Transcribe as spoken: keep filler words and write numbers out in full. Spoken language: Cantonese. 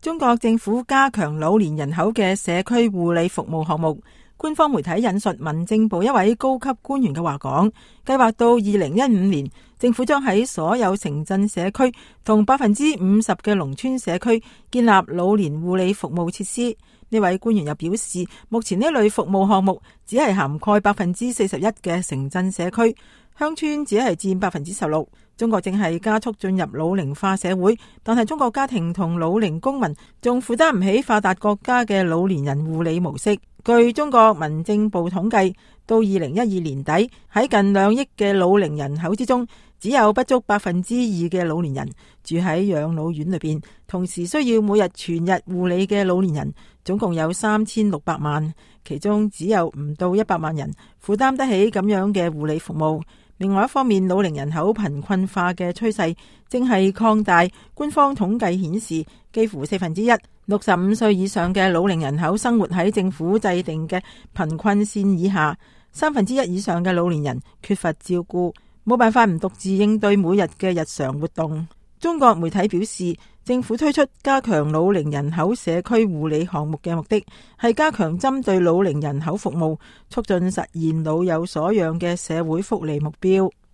中國政府加強老年人口嘅社區護理服務項目。官方媒體引述民政部一位高級官員嘅話講，計劃到二零一五年，政府將喺所有城鎮社區同百分之五十嘅農村社區建立老年護理服務設施。呢位官員又表示，目前呢類服務項目只係涵蓋百分之四十一嘅城鎮社區，鄉村只係佔百分之十六。中國正係加速進入老齡化社會，但係中國家庭同老齡公民仲負擔唔起發達國家嘅老年人護理模式。據中國民政部統計，到二零一二年底，喺近兩億嘅老齡人口之中，只有不足百分之二嘅老年人住喺養老院裏邊，同時需要每日全日護理嘅老年人總共有三千六百萬，其中只有唔到一百萬人負擔得起咁樣嘅護理服務。另外一方面，老齡人口貧困化嘅趨勢正係擴大。官方統計顯示，幾乎四分之一六十五歲以上嘅老齡人口生活喺政府制定嘅貧困線以下，三分之一以上嘅老年人缺乏照顧，冇辦法唔獨自應對每日嘅日常活動。中國媒體表示，政府推出加強老齡人口社區護理項目嘅目的係加強針對老齡人口服務，促進實現老有所養嘅社會福利目標。